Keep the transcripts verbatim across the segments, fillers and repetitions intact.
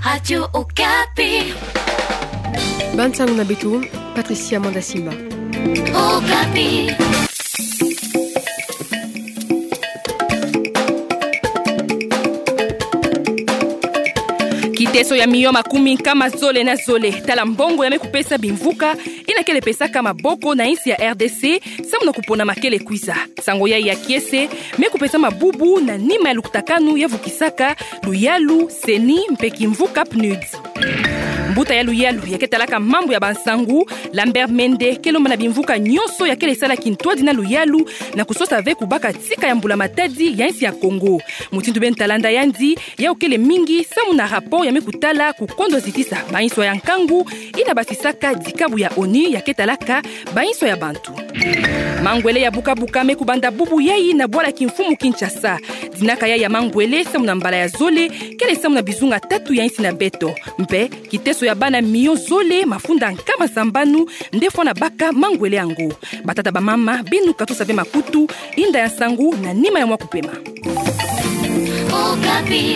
Radio Okapi. Bansango na beto, Patricia Mandasimba. Okapi. Kiteso ya miyo makumi nkama zole na zole, tala mbongo ya me kupesa bimvuka ina kele pesaka maboko na insi ya R D C, samu na kupona makele kwiza. Nsango yai ya kiese me kupesama bubu na nima ya lukutakanu ya vukisaka luyalu, CENI mpe kimvuka PNUD. Mbuta ya luyalu ya ke talaka mambu ya bansangu, Lambert Mende, ke lomba na bimvuka nyonso ya kele sala kintwadi na luyalu na kusosa ve kubaka tika ya mbula matadi ya insi ya Kongo. Mutindu beno ta landa yandi, yau kele mingi samu na rapport ya me kutala kukondo zitisa banswa ya nkangu ina basisaka dikabu ya ONU ya ke talaka banswa ya bantu. Mangwele ya bukabuka me kubanda bubu yai na bwala kimfumu Kinshasa. Dinaka yai ya mangwele samu na mbala ya zole kele samu na bizunga tatu ya insi na beto. Mpe kiteso ya bana miyo zole mafunda nkama sambanu nde fwana baka mangwele yango. Batata, bamama, beno katusa ve makutu, inda ya nsangu na nima ya mwa kupema. Okapi.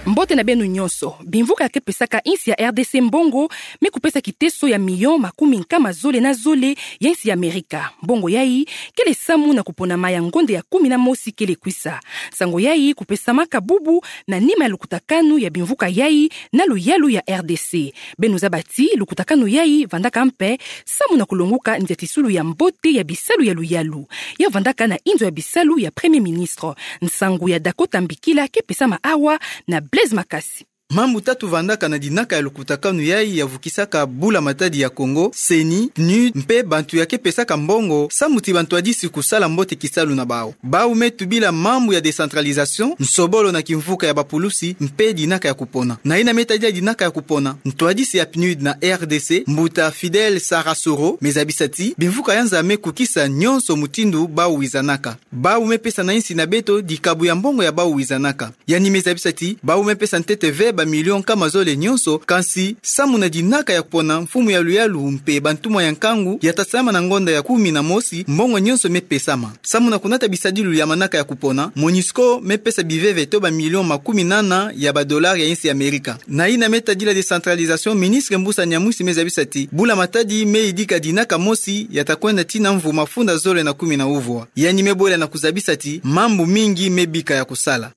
Mbote na beno nyonso. Bimvuka ya ke pesaka insi ya R D C mbongo me kupesa kiteso ya miyo makumi nkama zole na zole ya insi ya Amerika. Mbongo yai kele samu na kuponama ya ngonde ya kumi na mosi kele kwisa. Nsango yai kupesamaka bubu na nima ya lukutakanu ya bimvuka yai na luyalu ya R D C. Beno zaba ti lukutakanu yai vandaka mpe samu na kulonguka nziatisulu ya mbote ya bisalu ya luyalu. Ya vandaka na inzo ya bisalu ya Premier Ministre. Nsangu ya Dakota Mbikila ke pesama awa na Blaise Makasi. Mambu tatu vandaka na dinaka ya lukutakanu yai ya vukisaka bula matadi ya Kongo, CENI, PNUD, mpe bantu ya ke pesaka mbongo samu ti bantwadisi kusala mbote kisalu na bau. Bau me tubila mambu ya décentralisation, nsobolo na kimvuka ya bapulusi, mpe dinaka ya kupona. Na ina me tadila dinaka ya kupona, ntwadisi ya PNUD na R D C, mbuta Fidèle Sarasoro, me zabisa ti bimvuka ya nza me kukisa nyonso mutindu bau wizanaka. Bau me pesa na insi na beto dikabu ya mbongo ya bau wizanaka. Yandi me zabisa ti bau me pesa ntete ve bamilio nkama zole nyonso, kansi samu na dinaka ya kupona mfumu ya luyalu mpe bantumwa ya nkangu ya ta salama na ngonda ya kumi na mosi, mbongo nyonso me pesama. Samu na kunata bisadilu ya manaka ya kupona, MONUSCO me pesa biveve to bamilio makumi nana ya badolari ya insi ya Amerika. Na ina me tadila décentralisation, ministre Mbusa Nyamwisi me zabisa ti bula matadi me yidika dinaka mosi ya ta kwenda tii na mvu mafunda zole na kumi na uvwa. Yandi me bwela na kuzabisa ti mambu mingi me bika ya kusala.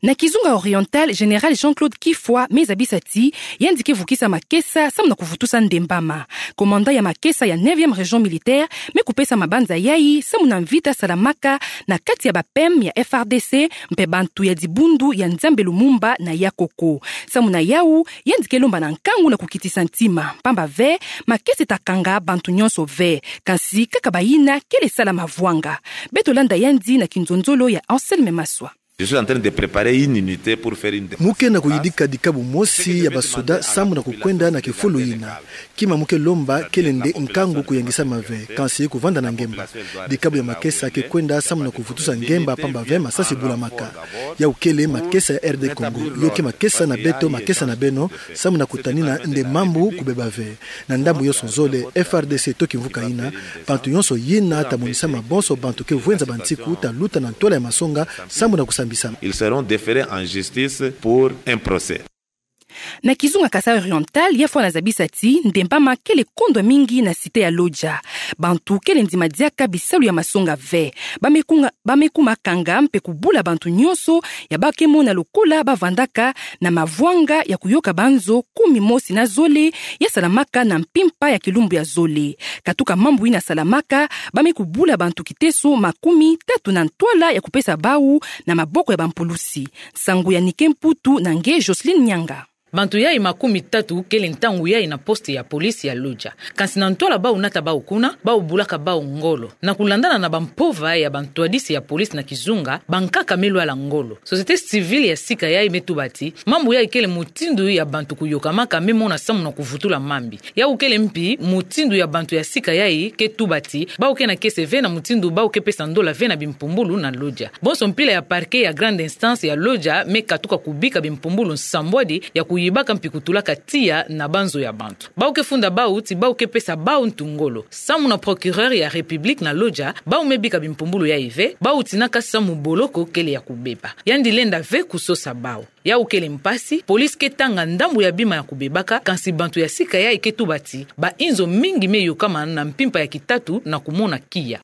Na Kizunga Oriental, Général Jean-Claude Kifwa me zabisa ti yandi ke vukisa makesa samu na kuvutusa ndembama. Commandant ya makesa ya neuvième région militaire me kupesa mabanza yai samu na mvita salamaka na kati ya ba P M ya F R D C mpe bantu ya dibundu ya Nzambe Lumumba na Yakoko. Samu na yau, yandi ke lomba na nkangu na kukitisa ntima, pamba ve makesa ta kanga bantu nyonso ve, kansi kaka bayina kele sala mavwanga. Beto landa yandi na kinzonzolo ya Anselme Maswa. Je suis en train de préparer une unité pour faire une défense. Mu ke na kuyidika dikabu mosi ya basoda samu na kukwenda na kifulu yina. Kima mu ke lomba kele nde nkangu kuyangisama ve, kansi kuvanda na ngemba. Dikabu ya makesa ke kwenda samu na kuvutusa ngemba, pamba ve masasi bulamaka. Yau kele makesa ya R D Congo, yo ke makesa na beto, makesa na beno, samu na kutanina nde mambu kubeba ve. Na ndambu yonso zole, F R D C to kimvuka yina, bantu yonso yina ta monisama, bonso bantu ke vwenza bansiku ta luta na ntwala ya masonga samu na kusambisama. Ils seront déférés en justice pour un procès. Na Kizunga Kasai Oriental, ya fwana zabisa ti ndembama kele kondwa mingi na cité ya Lodja. Bantu kele ndima diaka bisalu ya masonga ve. Ba me kunga, ba me kuma kanga mpe kubula bantu nyonso ya ba ke mona lokola bavandaka na mavwanga ya kuyoka banzo kumi mosi na zole ya salamaka na mpimpa ya kilumbu ya zole. Katuka mambu yina salamaka, ba me kubula bantu kiteso makumi tatu na ntwala ya kupesa bau na maboko ya bampulusi. Nsangu ya Nike Mputu na nge Jocelyne Nyanga. Bantu yai makumi tatu kele ntangu yai na poste ya police ya Lodja. Kansi na ntwala bau nata bau kuna, bau bulaka bau ngolo. Na kulandana na bampova ya bantwadisi ya police na kizunga, bankaka me lwala ngolo. Société civile ya sika yai me tuba ti mambu yai kele mutindu ya bantu kuyokamaka me mona samu na kuvutula mambi. Yau kele mpi mutindu ya bantu ya sika yai ke tuba ti bau ke na kiese ve na mutindu bau ke pesa ndola ve na bimpumbulu na Lodja. Bonso mpila ya parquet ya grande instance ya Lodja me katuka kubika bimpumbulu nsambwadi ya ku kuyibaka mpi kutulaka tiya na banzo ya bantu. Bau ke funda bau ti bau ke pesa bau ntu ngolo. Samu na procureur ya République na Lodja, bau me bika bimpumbulu yayi ve, bau tinaka samu boloko kele ya kubeba. Yandi lenda ve kusosa bau. Yau kele mpasi, police ke tanga ndambu ya bima ya kubebaka, kansi bantu ya sika yayi ke tuba ti, ba inzo mingi me yokamana na mpimpa ya kitatu na kumona kiya.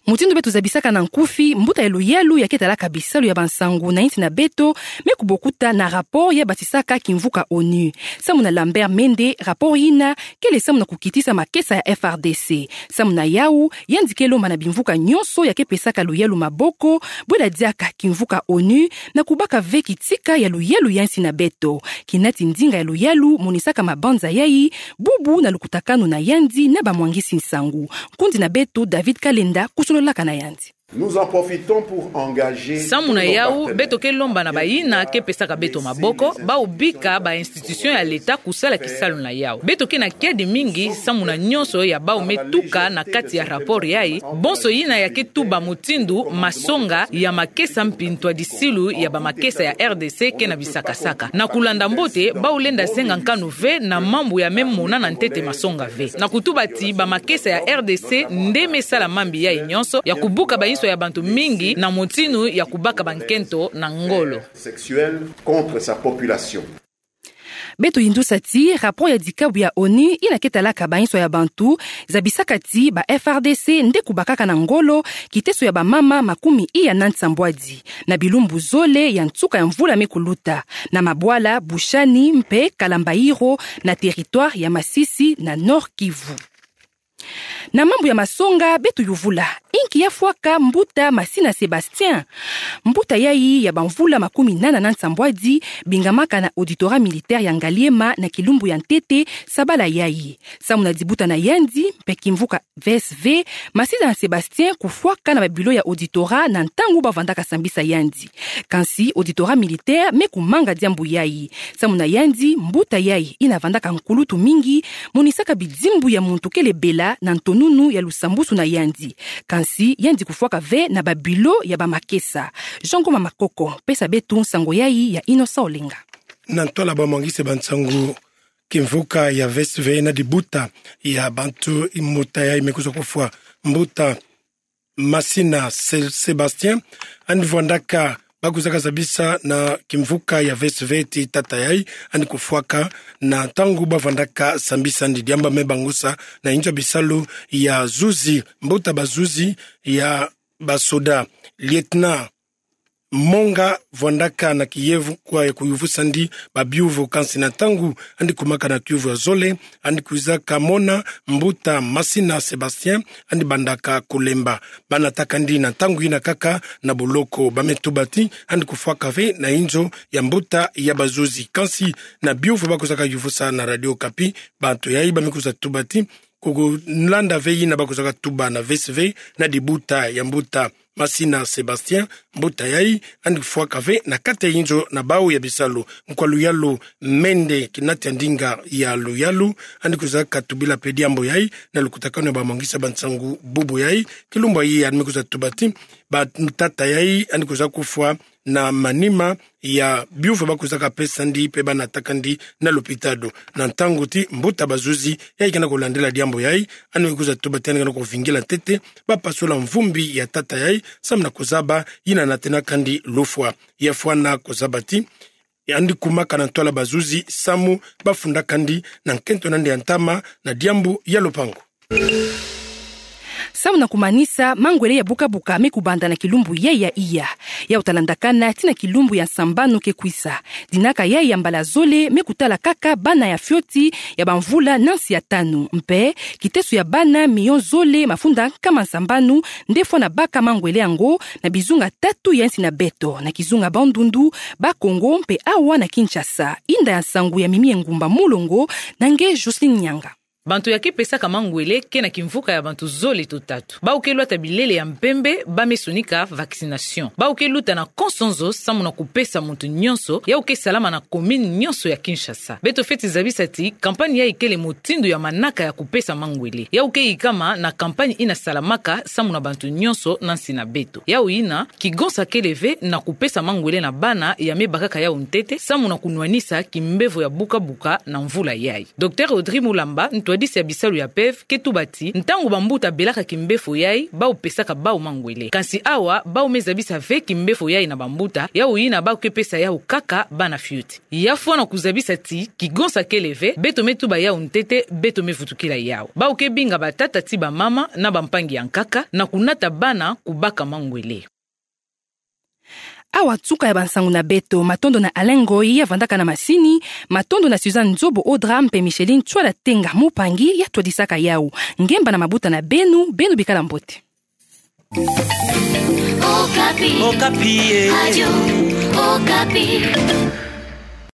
Mutindu beto zabisaka na nkufi, mbuta ya luyalu ya ke talaka bisalu ya bansangu na insi na beto, me kubokuta na rapport ya batisaka kimvuka ONU. Samu na Lambert Mende, rapport yina kele samu na kukitisa makesa ya F R D C. Samu na yau, yandi ke lomba na bimvuka nyonso ya ke pesaka luyalu maboko, bwela diaka kimvuka ONU, na kubaka ve kitika ya luyalu ya insi na beto. Kinati ndinga ya luyalu monisaka mabanza yayi, bubu na lukutakanu na yandi na bamwangisi nsangu. Nkundi na beto David Kalenda kusololaka na yandi. Nous en profitons pour engager Samu na yau, beto ke lomba na bayina ke pesaka beto maboko, bau bika ba institution ya leta kusala kisalu na yau. Beto ke na kiadi mingi, samu na nyonso ya bau me tuka na kati ya rapport yayi, bonso yina ya ke tuba mutindu masonga ya makesa mpi ntwadisilu ya bamakesa ya R D C ke na bisakasaka. Na kulanda mbote, bau lenda zenga nkanu ve na mambu ya me mona na ntete masonga ve. Na kutuba ti bamakesa ya R D C nde me sala mambi yayi nyonso, ya kubuka bainso ya bantu mingi na mutinu ya kubaka bankento na ngolo. Sexuelle contre sa population. Beto yindusa ti, rapport ya dikabu ya ONU, yina ke talaka bainso ya bantu, zabisaka ti ba F R D C nde kubakaka na ngolo kiteso ya bamama makumi iya na nsambwadi, na bilumbu zole ya nsuka ya mvula me kuluta, na mabwala Bushani mpe Kalambairo, na territoire ya Masisi na Nord-Kivu. Na mambu ya masonga, beto yuvula inki ya fwaka mbuta Masina Sébastien. Mbuta yayi ya bamvula makumi nana na nsambwadi, bingamaka na auditorat militaire ya Ngaliema na kilumbu ya ntete sabala yayi. Samu na dibuta na yandi, mpe kimvuka V S V, Masina Sébastien kufwaka na babilo ya auditorat na ntangu bavandaka sambisa yandi. Kansi auditorat militaire me kumanga diambu yayi. Samu na yandi, mbuta yayi yina vandaka nkulutu mingi, monisaka bidimbu ya muntu kele bela na ntonunu ya lusambusu na yandi. Kansi yandi kufwaka ve na babilo ya bamakesa. Jean Ngoma Makoko pesa beto nsangu yayi ya Innocent Olenga. Na ntwala bamwangisi bansangu, kimvuka ya V S V na dibuta ya bantu, mbuta yayi me kwiza kufwa, mbuta Masina Sé-, Sébastien, yandi vwandaka, bakwizaka zabisa na kimvuka ya V S V ti tata yayi yandi kufwaka na ntangu bavwandaka sambisa yandi, diambu me bangusa na inzo ya bisalu ya zuzi, mbuta bazuzi ya basoda, lieutenant Monga vwandaka na kiyevu kwa ya kuyuvusa yandi babiuvu, kansi na ntangu yandi kumaka na kiuvu ya zole, yandi kwizaka mona mbuta Masina Sébastien yandi bandaka kulemba. Bana takandi na ntangu yina kaka na boloko. Ba me tuba ti yandi kufwaka ve na inzo ya mbuta ya bazuzi. Kansi na biuvu bakwizaka yuvusa na Radio Okapi, bantu yayi ba me kwiza tuba ti, kukulanda ve yina bakwizaka tuba na V S V na dibuta ya mbuta Masina Sébastien, mbuta yayi yandi kufwaka ve na kati ya inzo na bau ya bisalu. Nkwa luyalu Mende, kinati ya ndinga ya luyalu, yandi kwizaka tubila mpe diambu yayi na lukutakanu ya bamwangisi bansangu bubu yayi. Kilumbu yayi yandi me kwiza tuba ti, ba tata yayi yandi kwiza kufwa na manima ya biuvu bakwizaka pesa yandi mpe bana takandi na lopitalo. Na ntangu ti mbuta bazuzi yayi ke na kulandila diambu yayi, yandi me kwiza tuba ti yandi ke na kuvingila ntete bapasula mvumbi ya tata yayi, samu na kuzaba yina natenakandi lufwa. Ya fwana kuzaba ti yandi kumaka na ntwala bazuzi samu bafundakandi na nkento na yandi ya ntama na diambu ya lupangu. Samu na kumanisa, mangwele ya bukabuka me kubanda na kilumbu yayi ya iya, ya utalandakana tii na kilumbu ya nsambanu ke kwiza. Dinaka yayi ya mbala zole me kutala kaka bana ya fioti ya bamvula na nsi ya tanu. Mpe kiteso ya bana miyo zole mafunda nkama nsambanu nde fwana baka mangwele yango na bizunga tatu ya nsi na beto, na kizunga Bandundu, Bas-Congo mpe awa na Kinshasa. Inda ya nsangu ya Mimi Engumba Mulongo, na nge Jocelyne Nyanga. Bantu ya ke pesaka mangwele ke na kimvuka ya bantu zole to tatu. Bau ke lwata bilele ya mpembe, ba me sonika vaccination. Bau ke luta na konso nzo samu na kupesa muntu nyonso, yau ke salama na commune nyonso ya Kinshasa. Beto feti zabisa ti campagne yai kele motindo ya manaka ya kupesa mangwele. Yau ke yikama na campagne ina salamaka samu na bantu nyonso na nsi na beto. Yau yina, kigonsa kele ve na kupesa mangwele na bana ya me bakaka yau ntete, samu na kunwanisa kimbevo ya buka-buka na mvula yai. Docteur Audrey Mulamba, ntwadisi ya bisalu ya P E V, ke tuba ti, ntangu bambuta belaka kimbefo yai, bau pesaka bau mangwele. Kansi awa, bau me zabisa ve kimbefo yai na bambuta, yau yina bau ke pesa yau kaka bana fioti. Ya fwana kuzabisa ti, kigonsa kele ve, beto me tuba yau ntete, beto me vutukila yau. Bau ke binga batata ti bamama na bampangi ya nkaka, na kunata bana kubaka mangwele. Awa nsuka ya bansangu na beto, matondo na Alain Ngoyi ya vandaka na masini, matondo na Suzanne Nzobo Audra mpe Micheline Tswala Tenga mupangi ya twadisaka yau. Ngemba na mabuta na beno, beno bikala mbote. Okapi. Okapi, eh. Radio Okapi.